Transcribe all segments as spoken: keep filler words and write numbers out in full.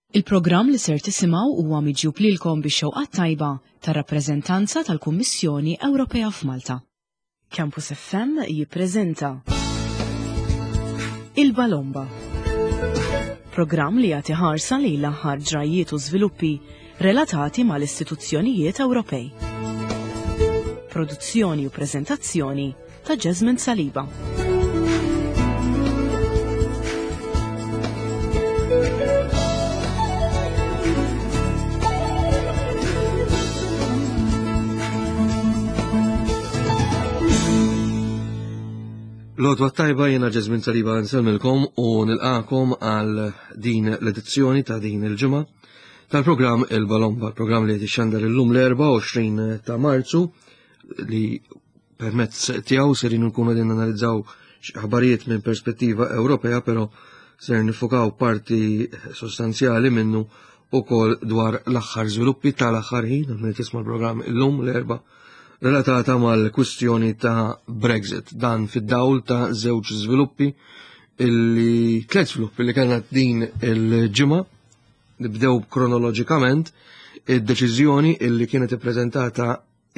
Il-programm li ser tisimgħu huwa miġjub lilkom bix-xewqat tajba tar-rappreżentanza tal-Kummissjoni Ewropea f'Malta. Campus F M jippreżenta Il-Balomba. Programm li jagħti ħarsa lejn l-aħħar ġrajiet u żviluppi relatati mal-istituzzjonijiet Ewropej. Produzzjoni u preżentazzjoni ta' Jasmine Saliba. L-għodwa tajba, jiena Jasmine Saliba, nsellmilkom u nilqakom għal din l-edizzjoni ta' din il-ġimgħa tal-programm Il-Balomba, programm li jixxandar illum l-erbgħa u għoxrin ta' Marzu, li permezz tiegħu serin nkunu qegħdin analizzaw aħbarijiet minn perspettiva Ewropea, però ser nifukaw parti sostanzjali minnu ukoll dwar l-aħħar żviluppi tal-aħħar ħin, minn tisma' l-programm illum l-Erbgħa, relatata mal-kwistjoni ta' Brexit. Dan fid-dawl ta' żewġ żviluppi illi tliet żviluppi li kellna din il-ġimgħa. Nibdew kronoloġikament: id-deċiżjoni illi kienet ippreżentata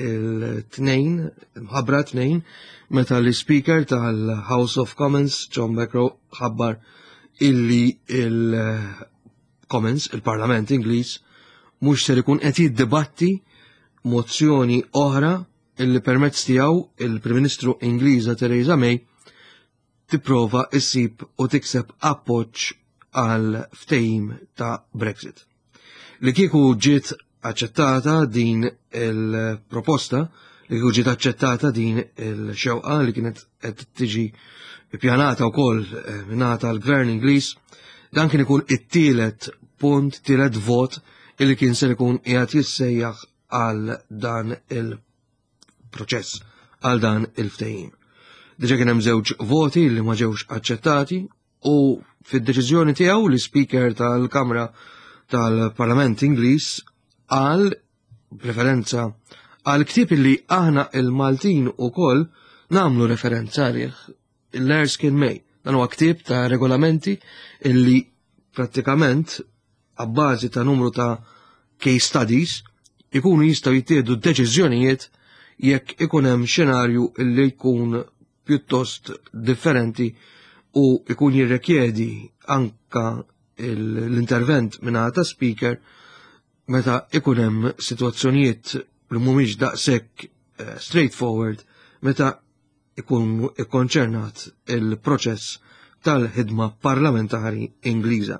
il-Tnejn, mħabbra Tnejn, meta l-Speaker tal-House of Commons, John Bercow, ħabbar illi il-Commons, il-Parlament Ingliż, mhux ser ikun qed jiddibatti mozzjoni oħra illi permezz tiegħu il-Prim Ministru Ingliża Theresa May tipprova issib u tikseb appoġġ għal ftehim ta' Brexit. Li kieku ġiet aċċettata din il-proposta, li kieku ġiet aċċettata din il-xewqa li kienet qed tiġi pjanata wkoll eh, mingħata l-Gvern Ingliż, dan kien ikun it-tielet punt, tielet vot illi kien ser ikun qiegħed jissejjaħ għal dan il-proċess, għal dan il-ftehim. Diġa kien hemm żewġ voti li ma ġewx aċċettati u fid-deċiżjoni tiegħu l-Speaker tal-Kamra tal-Parlament Ingliż għal referenza għal ktieb li aħna il-Maltin ukoll nagħmlu referenza għalih, l-Erskine May. Dan huwa ktieb ta' regolamenti illi prattikament għabbażi ta' numru ta' case studies ikunu jistgħu jittieħdu deċiżjonijiet jekk ikun hemm xenarju illi jkun pjuttost differenti u ikun jirrekjedi anka l-intervent minn ta' speaker meta ikun hemm sitwazzjonijiet li mhumiex daqshekk eh, straightforward meta ikun ikkonċernat il-proċess tal-ħidma parlamentari Ingliża.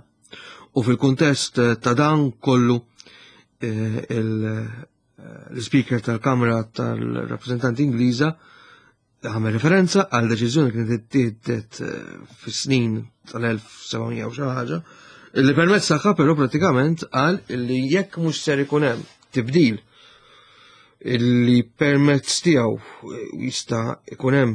U fil-kuntest ta' dan kollu eh, l-speaker tal-Kamra tal-Rappresentanti Ingliża għamel referenza għal deċiżjoni kienet ittieħdet eh, fis-snin tal-elf u seba' mija u xi ħaġa, li permezz tagħha però pratikament qal li jekk mhux ser ikun hemm tibdil illi permezz tiegħu jista' ikun hemm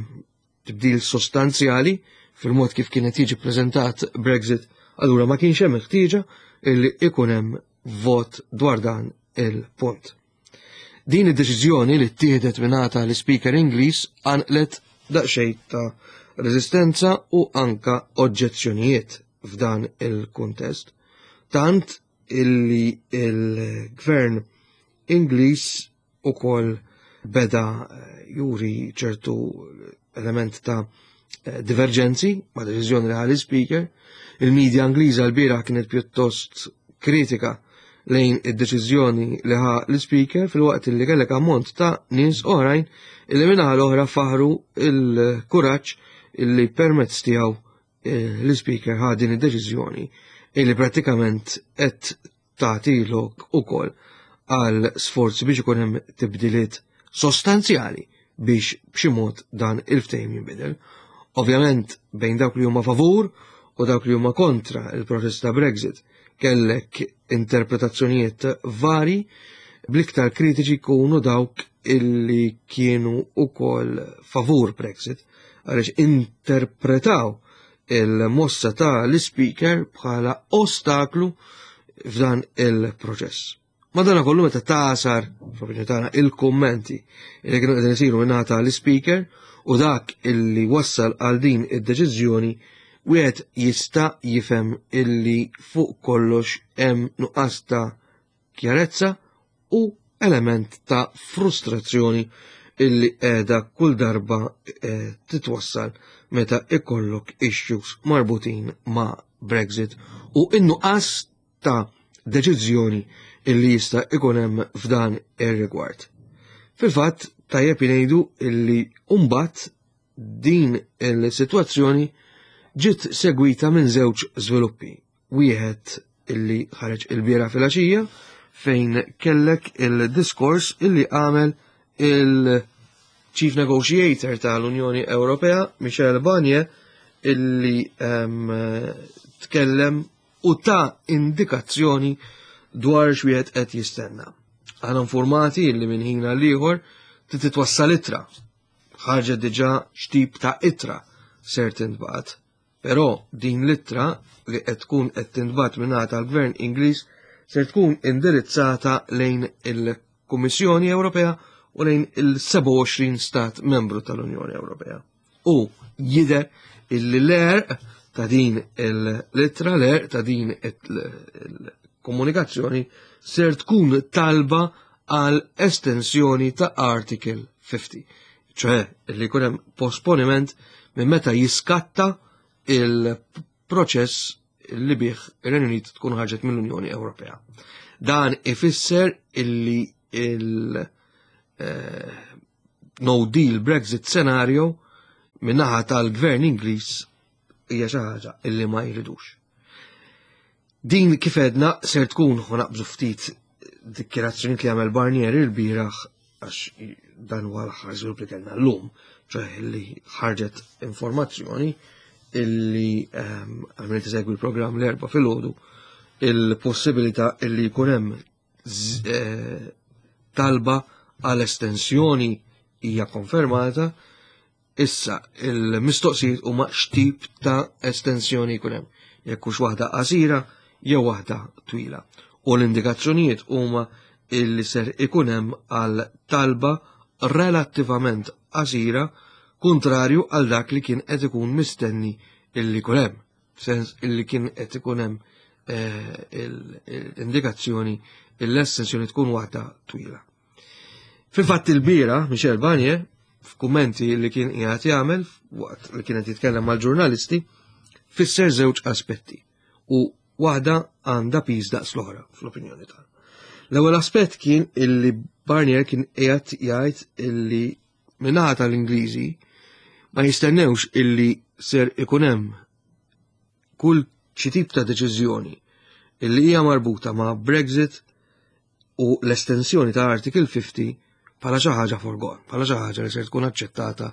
tibdil sostanzjali fil-mod kif kienet jiġi preżentat Brexit, allura ma kienx hemm ħtieġa illi ikun hemm vot dwar dan il-punt. Din id-deċiżjoni li ttieħdet mingħata l-Speaker Ingliż qanqlet daqsxejn ta' reżistenza u anka oġġezzjonijiet f'dan il-kuntest. Tant illi il-gvern Ingliż ukoll beda eh, juri ċertu element ta' eh, divergenzi ma' deċiżjoni li ħa l-Speaker. Il-medja Ingliża l-bieraħ kienet pjuttost kritika lejn id-deċiżjoni li ħa l-Speaker, filwaqt li kellek ammont ta' nies oħrajn illi min-naħa l-oħra faħru il-kuraġġ illi permezz tiegħu eh, l-Speaker ħa din id-deċiżjoni illi prattikament qed tagħti lok ukoll għal sforzi biex ikun hemm tibdiliet sostanzjali biex b'xi mod dan il-ftehim jinbidel. Ovvjament, bejn dawk li huma favur u dawk li huma kontra il-proċess ta' Brexit kellek interpretazzjonijiet vari, bl-iktar kritiċi jkunu dawk illi kienu ukoll favur Brexit għaliex interpretaw il-mossa ta' l-Speaker bħala ostaklu f'dan il-proċess. Madana kollu, meta tagħsar, f'opinjoni tagħna, il-kummenti li kienu qegħdin isiru mingħata l-Speaker u dak illi wassal għal din id-deċiżjoni, wieħed jista' jifhem illi fuq kollox hemm nuqqas ta' kjarezza u element ta' frustrazzjoni illi qiegħda kull darba eh, titwassal meta ikollok issues marbutin ma' Brexit u in-nuqqas ta' deċiżjoni illi jista' ikun hemm f'dan ir-rigward. Fil-fatt, tajjeb ngħidu illi mbagħad din il-sitwazzjoni ġiet segwita minn żewġ żviluppi. Wieħed illi ħareġ il-bieraħ filgħaxija, fejn kellek il-diskors illi għamel il-Chief Negotiator tal-Unjoni Ewropea, Michel Barnier, illi um, tkellem u ta' indikazzjoni dwar x'wieħed qed jistenna. Aħna informati illi minn ħin għal ieħor titwassal ittra. Ħarġet diġà x'tip ta' ittra ser tintbagħat. Però din l-ittra li qed tkun qed tintbagħat mingħata tal-Gvern Ingliż ser tkun indirizzata lejn il-Kummissjoni Ewropea u lejn il-sebgħa u għoxrin stat membru tal-Unjoni Ewropea. U jidher illi l-għerq ta' din l-ittra, l-għerq ta' din il-komunikazzjoni ser tkun talba għal estensjoni ta' Article ħamsin. ċoè, li jkun hemm posponiment minn meta jiskatta il-proċess li bih ir-Renju Unit tkun ħarġet mill-Unjoni Ewropea. Dan ifisser illi il- eh, no deal Brexit scenario min-naħa tal-gvern Ingliż hija xi ħaġa illi ma jridux. Din kif għedna ser tkun, ħa naqbżu ftit dikjarazzjoni li għamel Barnier il-bieraħ, għax dan huwa l-aħħar żvilupp li kellna llum, ċoè li ħarġet informazzjoni illi ehm, għamilt segwi l-programm l-Erbgħa filgħodu, il-possibilità illi jkun hemm eh, talba għal estensjoni hija konfermata. Issa il-mistoqsijiet huma x'tip ta' estensjoni jkun hemm, jekk hux waħda qasira jew waħda twila. U l-indikazzjonijiet huma illi ser ikun hemm għal talba relattivament qasira, kontrarju għal dak li kien qed ikun mistenni illi jkun hemm, sens illi kien qed ikun hemm eh, l-indikazzjoni l-estensjoni tkun waħda twila. Fil-fatt, il-bieraħ, Michel Barnier, f'kummenti li kien qiegħed jagħmel waqt li kien qed jitkellem mal-ġurnalisti, fisser żewġ aspetti u waħda għandha piż daqs l-oħra fl-opinjoni tagħna. L-ewwel aspett kien illi Barnier kien qiegħed jgħid illi min-naħa tal-Ingliżi ma jistennewx illi ser ikun hemm kull xi tip ta' deċiżjoni illi hija marbuta ma' Brexit u l-estensjoni ta' Article fifty bħala xi ħaġa forgone, bħala xi ħaġa li ser tkun aċċettata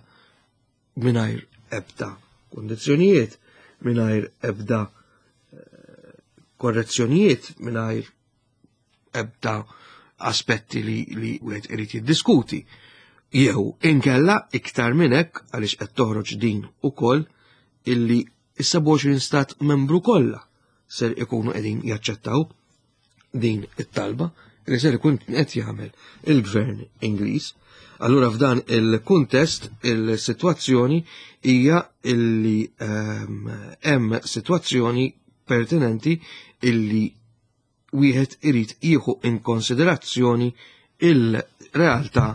mingħajr ebda kundizzjonijiet, mingħajr ebda eh, korrezzjonijiet, mingħajr ebda aspetti li li wieħed irid jiddiskuti. Jew inkella iktar minn hekk, għaliex qed toħroġ din ukoll illi is-sebgħa u għoxrin stat membru kollha ser ikunu qegħdin jaċċettaw din it-talba li ser ikun qed jagħmel il-gvern Ingliż. Allura f'dan il-kuntest il-sitwazzjoni hija illi ehm, hemm sitwazzjoni pertinenti illi wieħed irid jieħu in konsiderazzjoni il-realtà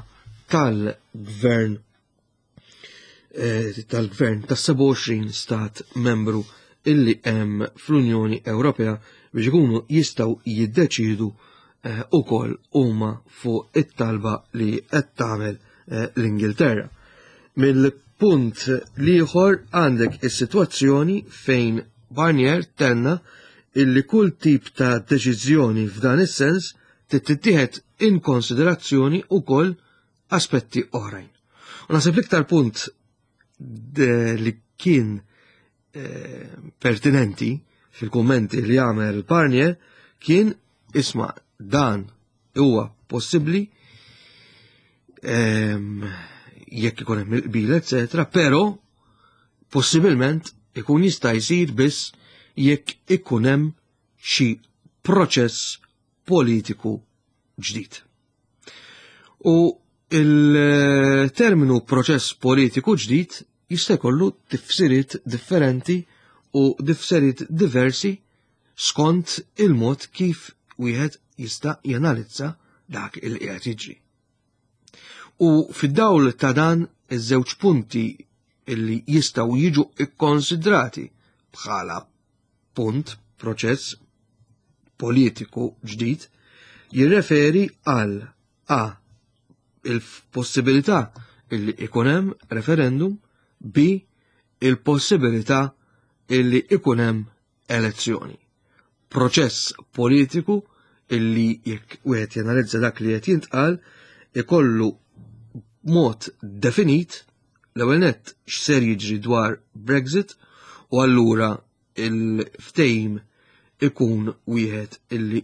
tal-gvern eh, tal-gvern tas sebgħa u għoxrin stat membru illi hemm fl-Unjoni Ewropea biex ikunu jistgħu jiddeċidu eh, ukoll huma fuq it-talba li qed tagħmel eh, l-Ingilterra. Mill-punt l-ieħor għandek is-sitwazzjoni fejn Barnier tenna illi kull tip ta' deċiżjoni f'dan is-sens tittieħed in konsiderazzjoni ukoll aspetti oħrajn. U naħseb l-iktar punt li kien eh, pertinenti fil-kummenti li għamel Barnier kien, isma', dan huwa possibbli ehm, jekk ikun hemm il-qbil, eċetera, però possibilment ikun jista' jsir biss jekk ikun hemm xi proċess politiku ġdid. U il-terminu proċess politiku ġdid jista' jkollu tifsiriet differenti u tifsiriet diversi skont il-mod kif wieħed jista' janalizza dak il qiegħed jiġri. U fid-dawl ta' dan iż-żewġ punti illi jistgħu jiġu ikkonsidrati bħala punt proċess politiku ġdid jirreferi għal A. il-possibilità illi ikun hemm referendum, B. il-possibilità illi ikun hemm elezzjoni. Proċess politiku illi jekk wieħed janalizza dak li qed jintqal ikollu mod definit l-ewwel nett x'ser jiġri dwar Brexit u allura il-ftehim ikun wieħed illi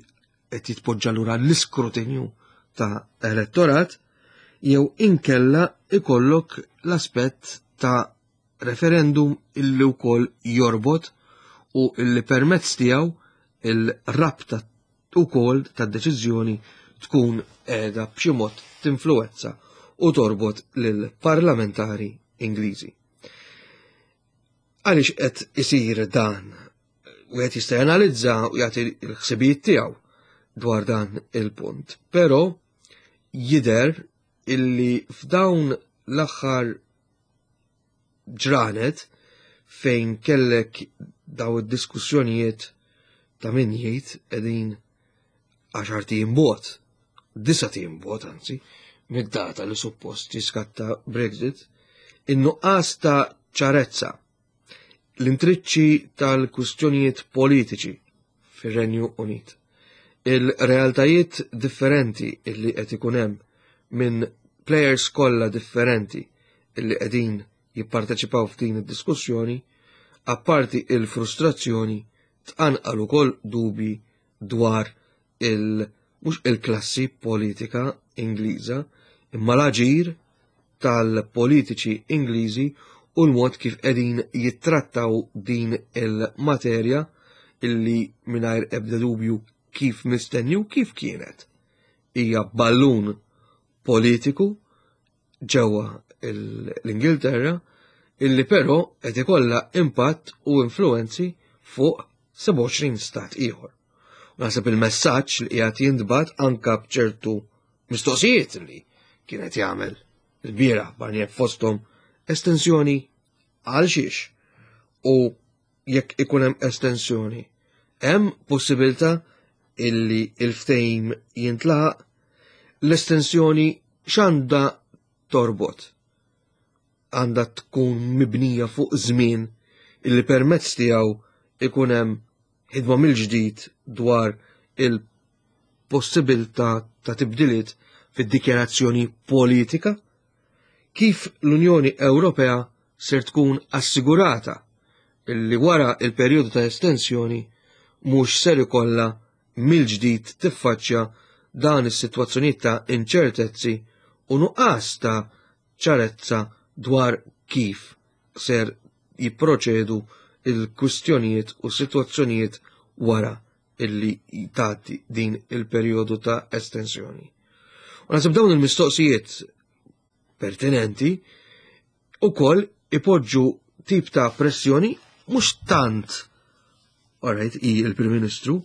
qed jitpoġġa lura l-iskrutinju ta' elettorat jew inkella ikollok l-aspett ta' referendum illi wkoll jorbot u illi permezz tiegħu il-rabta ukoll tad-deċiżjoni tkun qiegħda b'xi mod tinfluwenza u torbot lill-parlamentari Ingliżi. Għaliex qed isir dan? Wieħed jista' janalizza u jagħti l-ħsibijiet tiegħu dwar dan il-punt. Però jidher illi f'dawn l-aħħar ġranet fejn kellek daw id-diskussjonijiet ta' min jgħid qegħdin għaxart ijiem bogħod, disat ijiem bogħod anzi, mid-data li suppost jiskatta Brexit, in-nuqqas ta' ċarezza, l-intriċċi tal-kwistjonijiet politiċi fir-Renju Unit, il-realtajiet differenti illi qed ikun hemm minn players kollha differenti illi qegħdin jipparteċipaw f'din id-diskussjoni, apparti il-frustrazzjoni tqanqal ukoll dubi dwar il mhux il-klassi politika Ingliża, imma l-aġir tal-politiċi Ingliżi u l-mod kif qegħdin jittrattaw din il-materja illi mingħajr ebda dubju kif mistenni u kif kienet. Hija ballun politiku ġewwa l-Ingilterra illi però qed ikollha impatt u influenzi fuq sebgħa u għoxrin stat ieħor. U naħseb il-messaġġ li qiegħed jintbagħat anka b'ċertu mistoqsijiet li kienet jagħmel il-bieraħ Barnier fosthom estensjoni għal xiex u jekk ikun hemm estensjoni hemm possibilità illi il-ftehim jintlaħaq, l-estensjoni x'għandha torbot? Għandha tkun mibnija fuq żmien illi permezz tiegħu ikun hemm ħidma mill-ġdid dwar il-possibilità ta' tibdiliet fid-dikjarazzjoni politika, kif l-Unjoni Ewropea ser tkun assigurata illi wara il-perjodu ta' estensjoni mhux ser ikollha mill-ġdid tiffaċċja dan is-sitwazzjonijiet ta' inċertezzi u nuqqas ta' ċarezza dwar kif ser jipproċedu il-kwistjonijiet u sitwazzjonijiet wara illi tgħaddi din il-perjodu ta' estensjoni. U naħseb dawn il-mistoqsijiet pertinenti ukoll ipoġġu tip ta' pressjoni mhux tant, alright, hi il-Prim Ministru,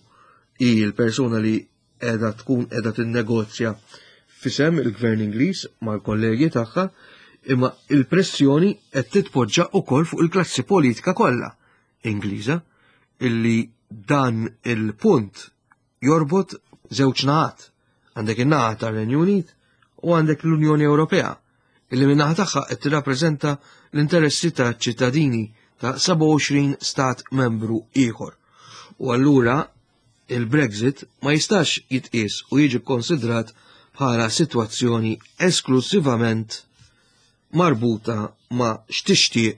hi l-persuna li qiegħda tkun qiegħda tinnegozja fisem il-Gvern Ingliż mal-kollegi tagħha, imma il-pressjoni qed titpoġġa wkoll fuq il-klassi politika kollha Ingliża illi dan il-punt jorbot żewġ naħat. Għandek in-naħa tar-Renju Unit u għandek l-Unjoni Ewropea illi min-naħa tagħha qed tirrappreżenta l-interessi ta' ċittadini ta' sebgħa u għoxrin stat membru ieħor. U allura il-Brexit ma jistax jitqies u jiġi konsidrat bħala sitwazzjoni esklusivament marbuta ma' x'tixtieq,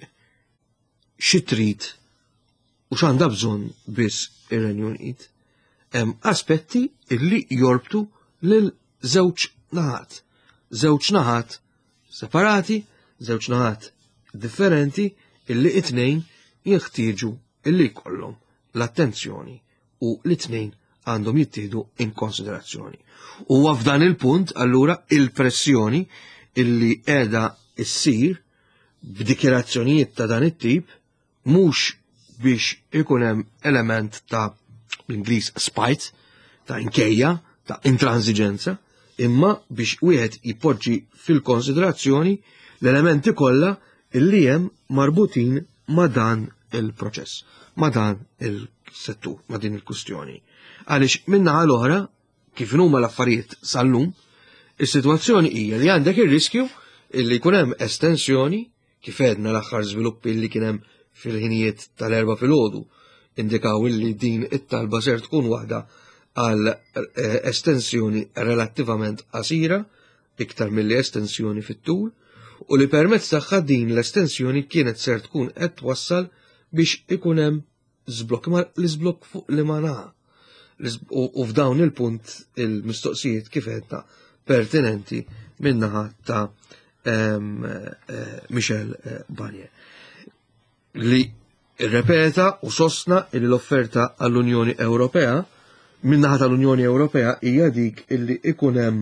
xi trid u x'għandha bżonn biss ir-Renju Unit. Hemm aspetti illi jorbtu lil żewġ naħat. Żewġ naħat separati, żewġ naħat differenti illi it-tnejn jeħtieġu illi jkollhom l-attenzjoni u l-tnejn għandhom jittieħdu in konsiderazzjoni. U f'dan il-punt allura il-pressjoni illi qiegħda issir b'dikjerazzjonijiet ta' dan it-tip mhux biex ikun hemm element ta' bl-Ingliż spite, ta' inkejja, ta' intransiġenza, imma biex wieħed jipoġġi fil-konsiderazzjoni l-elementi kollha illi hemm marbutin ma' dan il-proċess, ma' dan il-settur, ma' din il-kustjoni. Għaliex min-naħa l-oħra, kif huma l-affarijiet sal-lum, is-sitwazzjoni hija li għandek ir-riskju illi jkun hemm estensjoni, kif għedna l-aħħar żviluppi li kien hemm fil-ħinijiet tal-Erbgħa filgħodu indikaw illi din it-talba ser tkun waħda għal eh, estensjoni relattivament qasira, iktar milli estensjoni fit-tul, u li permezz tagħha din l-estensjoni kienet ser tkun qed twassal biex ikun hemm żblokk, ma l-iżblokk fuq li ma naħa. U f'dawn il-punt il-mistoqsijiet kif għedna pertinenti min-naħa ta' em, eh, Michel eh, Barnier, li rrepeta u sostna li l-offerta għall-Unjoni Ewropea min-naħa tal-Unjoni Ewropea hija dik illi ikun hemm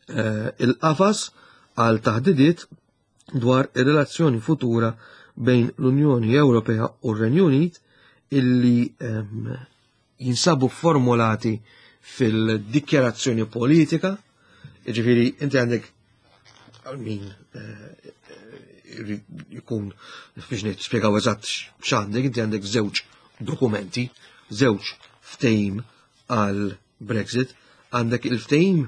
eh, il-qafas għal taħdidiet dwar ir-relazzjoni futura bejn l-Unjoni Ewropea u r-Renju Unit illi em, jinsabu formulati fil-dikjarazzjoni politika, jiġifieri inti għandek għal min eh, jkun biex nispjegaw eżatt x'għandek, inti għandek żewġ dokumenti, żewġ ftehim għal Brexit, għandek il-ftehim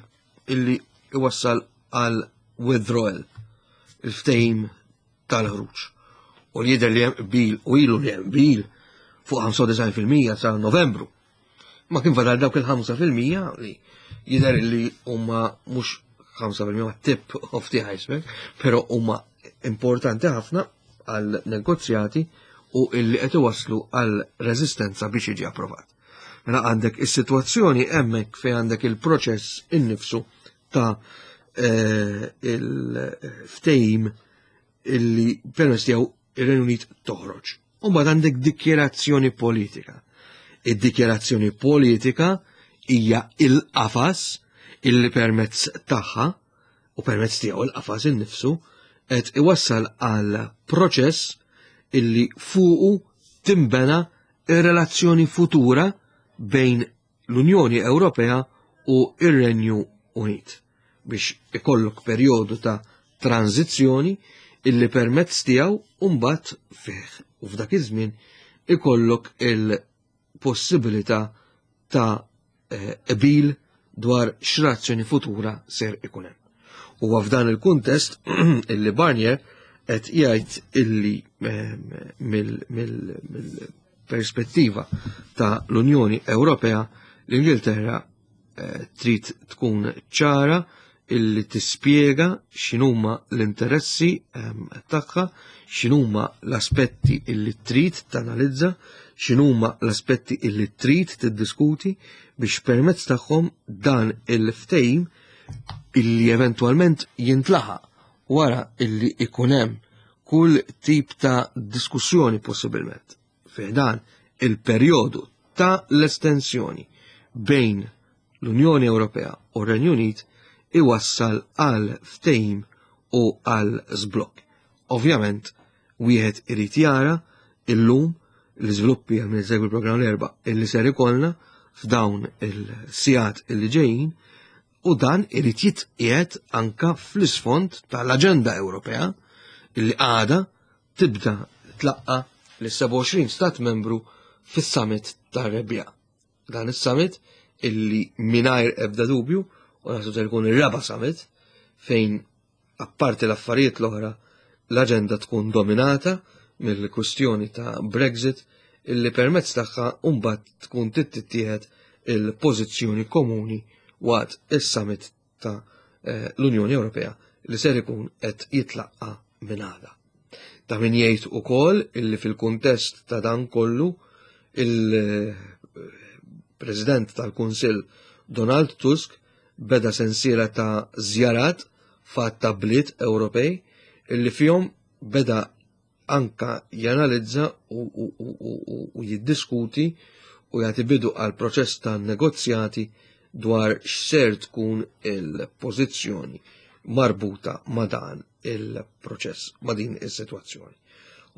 illi iwassal għal withdrawal, il-ftehim tal-ħruġ. U li jidher li hemm qbil u ilu li hemm qbil fuq ħamsa u disgħin fil-mija sa Novembru. Ma kien fadal dawk il-ħamsa fil-mija li jidher li huma mhux ħamsa fil-mija ma tip of the iceberg, però huma importanti ħafna għal negozjati u illi qed iwasslu għal reżistenza biex jiġi approvat. Mela għandek is-sitwazzjoni hemmhekk fejn għandek il-proċess innifsu ta' eh, il-ftehim illi permezz tiegħu ir-Renju Unit toħroġ. U mbagħad għandek dikjerazzjoni politika. Id-dikjerazzjoni politika hija il-qafas illi permezz tagħha u permezz tiegħu il-qafas innifsu qed iwassal għal proċess illi fuqu timbena ir-relazzjoni futura bejn l-Unjoni Ewropea u ir-Renju Unit biex ikollok perjodu ta' tranzizzjoni illi permezz tiegħu mbagħad fih u f'dak iż-żmien ikollok il-possibilità ta' qbil dwar x'relazzjoni futura ser ikun hemm. U f'dan il-kuntest illi Barnier qed jgħid illi mill-perspettiva ta' l-Unjoni Ewropea, l-Ingilterra trid tkun ċara illi tispjega x'inhuma l-interessi tagħha, x'inhuma l-aspetti illi trid tanalizza, x'inhuma l-aspetti illi trid tiddiskuti biex permezz tagħhom dan il-ftehim illi eventwalment jintlaħaq wara illi ikun hemm kull tip ta' diskussjoni possibilment fi dan il-perjodu ta' l-estensjoni bejn l-Unjoni Ewropea u r-Renju Unit iwassal għal ftehim u għal żblokk. Ovvjament, wieħed irid jara illum l-iżviluppi għal min segwi l-programm l-Erbgħa illi ser ikollna f'dawn il-sigħat illi ġejjin, u dan irid jitqiegħed anka fl-isfond tal-Aġenda Ewropea illi għada tibda tlaqqa l-sebgħa u għoxrin stat membru fis-summit tar-rebbiegħa. Dan is-summit illi mingħajr ebda dubju u naħseb se jkun ir-raba' summit fejn apparti l-affarijiet l-oħra l-aġenda tkun dominata mill-kwistjoni ta' Brexit illi permezz tagħha mbagħad tkun tittieħed il-pożizzjoni komuni waqt is-summit ta' eh, l-Unjoni Ewropea li ser ikun qed jitlaqqa minn għada. Ta' min jgħid ukoll illi fil-kuntest ta' dan kollu il-President tal-Kunsill Donald Tusk beda sensiela ta' żjarat f'għadd bliet Ewropej illi fihom beda anka janalizza u, u, u, u, u jiddiskuti u jagħti bidu għal proċess ta' negozjati dwar x'ser tkun il-pożizzjoni marbuta ma' dan il-proċess, ma' din is-sitwazzjoni.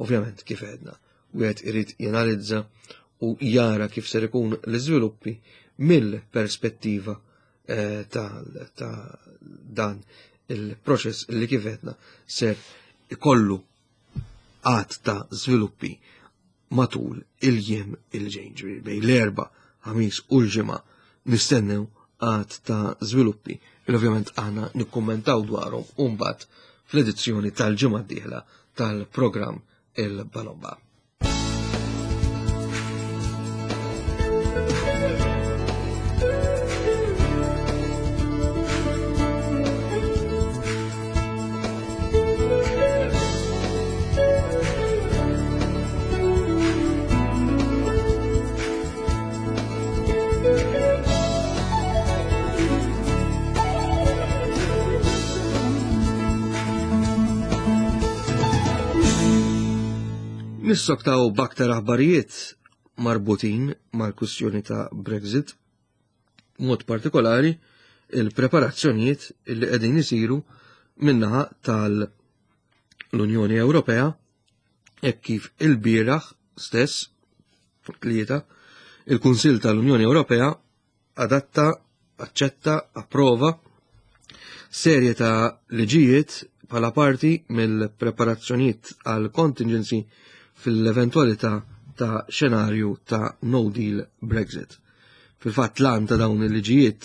Ovvjament, kif għedna, wieħed irid janalizza u jara kif ser ikun l-iżviluppi mill-perspettiva eh, ta', ta dan il-proċess li kif għedna ser ikollu għadd ta' żviluppi matul il-jiem il-ġejjin, ġifieri bejn l-Erbgħa, Ħamis u l-Ġimgħa nistennew għadd ta' żviluppi il ovvjament aħna nikkummentaw dwarhom u mbagħad fl-edizzjoni tal-ġimgħa d-dieħla tal-programm Il-Balomba. Nissoktaw b'aktar aħbarijiet marbutin mal-kwistjoni ta' Brexit, mod partikolari il-preparazzjonijiet li qegħdin isiru min-naħa tal-Unjoni Ewropea hekk kif il-bieraħ stess tlieta il-Kunsill tal-Unjoni Ewropea adatta, aċċetta, approva serje ta' liġijiet bħala parti mill-preparazzjonijiet għal contingency fil-eventualità ta' xenarju ta' no deal Brexit. Fil-fatt l-għan ta' dawn il-liġijiet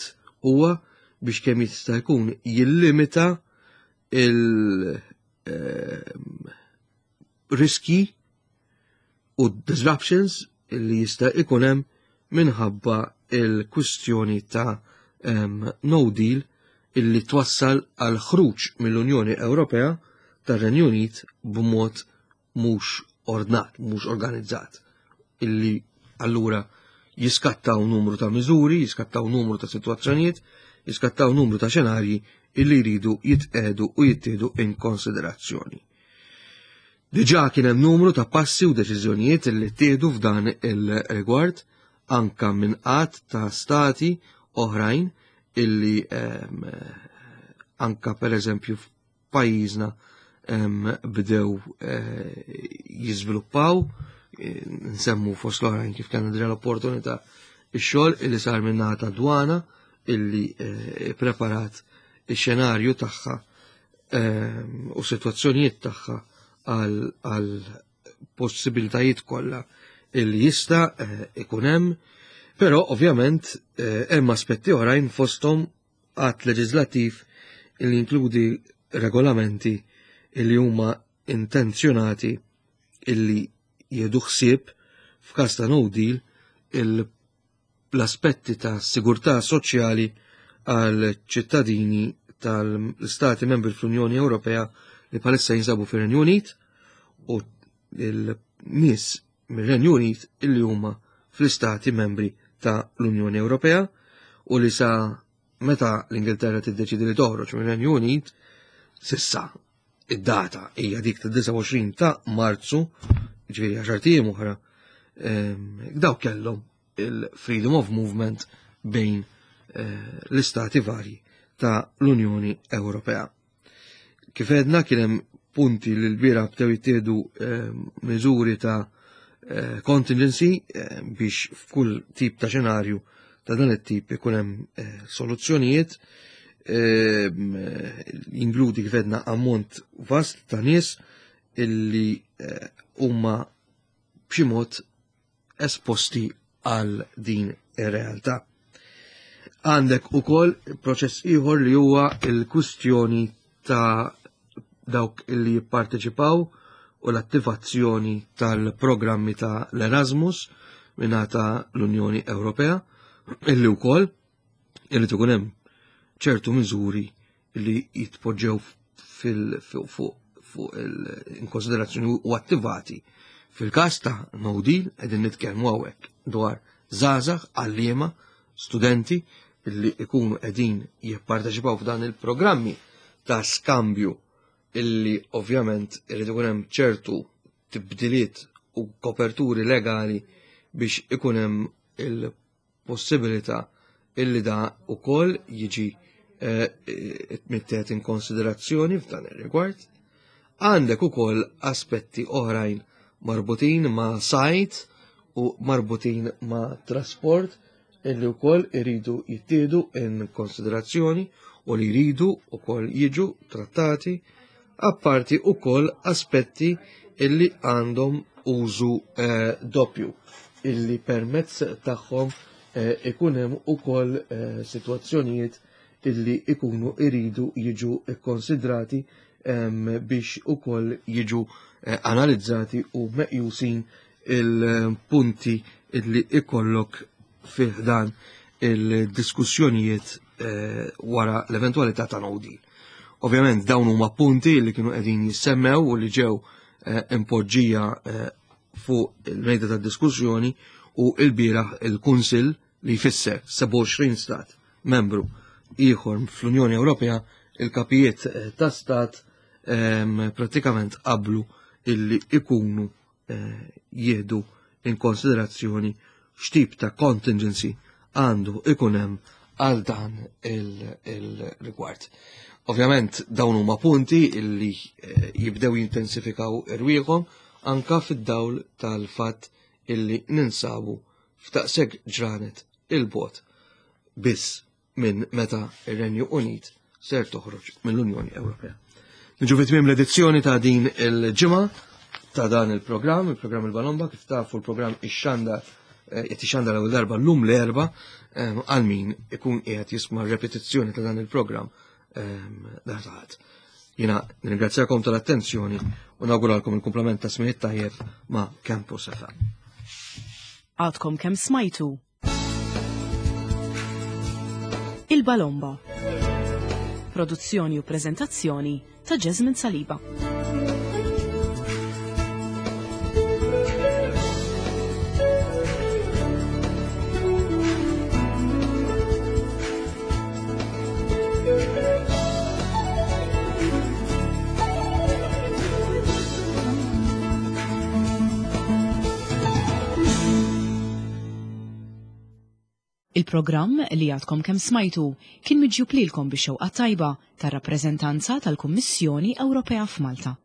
huwa biex kemm jista' jkun jillimita il-riski u disruptions li jista' ikun hemm minħabba il-kwistjoni ta' um, no deal illi twassal għal ħruġ mill-Unjoni Ewropea tar-Renju Unit b'mod mhux ordnat, mhux organizzat, illi allura jiskattaw numru ta' miżuri, jiskattaw numru ta' situazzjonijiet, jiskattaw numru ta' xenarji illi jridu jitqedu u jittieħdu in konsiderazzjoni. Diġà kien hemm numru ta' passi u deċiżjonijiet illi ttieħdu f'dan il-rigward anka minn qatt ta' stati oħrajn illi um, anka per eżempju f'pajjiżna um, bdew uh, jiżviluppaw, nsemmu fost l-oħrajn kif kellna diġà l-opportunità ix-xogħol illi sar min-naħa ta' dwana illi eh, preparat ix-xenarju tagħha ehm, u sitwazzjonijiet tagħha għal possibilitajiet kollha illi jista' eh, ikun hemm, però ovvjament eh, hemm aspetti oħrajn fosthom att leġislattiv illi jinkludi regolamenti illi huma intenzjonati illi jieħdu ħsieb f'każ ta' no deal l-aspetti ta' sigurtà soċjali għal ċittadini tal-Stati membri fl-Unjoni Ewropea li bħalissa jinsabu fir-Renju Unit u l-nies mir-Renju Unit illi huma fl-Istati membri ta' l-Unjoni Ewropea u li sa meta l-Ingilterra tiddeċidi li toħroġ mir-Renju Unit sissa id-data hija dik ta' disgħa u għoxrin ta' Marzu, ġifieri għaxar ijiem oħra, daw kellhom il-freedom of movement bejn eh, l-istati varji ta' l-Unjoni Ewropea. Kif għedna kien hemm punti li l-bira bdew jittieħdu miżuri ta' eh, contingency eh, biex f'kull tip ta' xenarju ta' dan it-tip ikun hemm soluzzjonijiet, jinkludi kif għedna ammont vast ta' nies illi huma b'xi mod esposti għal din ir-realtà. Għandek ukoll proċess ieħor li huwa l-kwistjoni ta' dawk illi jipparteċipaw u l-attivazzjoni tal-programmi ta' l-Erasmus mingħata l-Unjoni Ewropea, illi wkoll irid ikun hemm ċertu miżuri li jitpoġġew fil-, fuq, fuq il-, konsiderazzjoni u attivati. Fil-każ ta' no deal qegħdin nitkellmu hawnhekk dwar żgħażagħ, għalliema, studenti illi ikunu qegħdin jipparteċipaw f'dan il-programmi ta' skambju illi ovvjament irid ikun hemm ċertu tibdiliet u koperturi legali biex ikun hemm il-possibilità illi da ukoll jiġi, eh, mittet in konsiderazzjoni f'dan ir-rigward. Għandek ukoll aspetti oħrajn marbutin ma' sajd u marbutin ma' trasport illi wkoll iridu jittieħdu in konsiderazzjoni u li jridu wkoll jiġu trattati, apparti wkoll aspetti illi għandhom użu eh, doppju illi permezz tagħhom eh, ikun hemm ukoll eh, sitwazzjonijiet illi ikunu iridu jiġu ikkonsidrati em, biex ukoll jiġu eh, analizzati u meqjusin il-punti illi ikollok fih dan il-diskussjonijiet eh, wara l-eventualità ta' no deal. Ovvjament dawn huma punti li kienu qegħdin jissemmew u li ġew eh, impoġġija eh, fuq il-mejda ta' diskussjoni u il-bieraħ il-Kunsill li jfisser sebgħa u għoxrin stat membru ieħor fl-Unjoni Ewropea, il-kapijiet eh, ta' stat em, pratikament qablu illi ikunu eh, jieħdu in konsiderazzjoni x'tip ta' contingency għandu ikun hemm għal dan il-rigward. Ovvjament dawn huma punti illi eh, jibdew jintensifikaw irwieħhom anka fid-dawl tal-fatt illi ninsabu f'daqshekk ġranet il-bogħod biss minn meta ir-Renju Unit ser toħroġ mill-Unjoni Ewropea. Niġu fi tmiem l-edizzjoni ta' din il-ġimgħa ta' dan il-programm, il-programm il-Balomba, kif tafu l-programm ixxandar qed ixxandar l-ewwel darba llum l-Erbgħa għal min ikun qiegħed jisma' repetizzjoni ta' dan il-programm dartaħat. Jiena nirringrazzjakom tal-attenzjoni u nawguralkom il-kumplament ta' smigħ tajjeb ma' Campus F M. Għadkom kemm smajtu Il-Balomba. Produzzjoni u prezentazzjoni ta' Jasmine Saliba. Il-programm li għadkom kemm smajtu kien miġjub lilkom bix-xewqa tajba tar-rappreżentanza tal-Kummissjoni Ewropea f'Malta.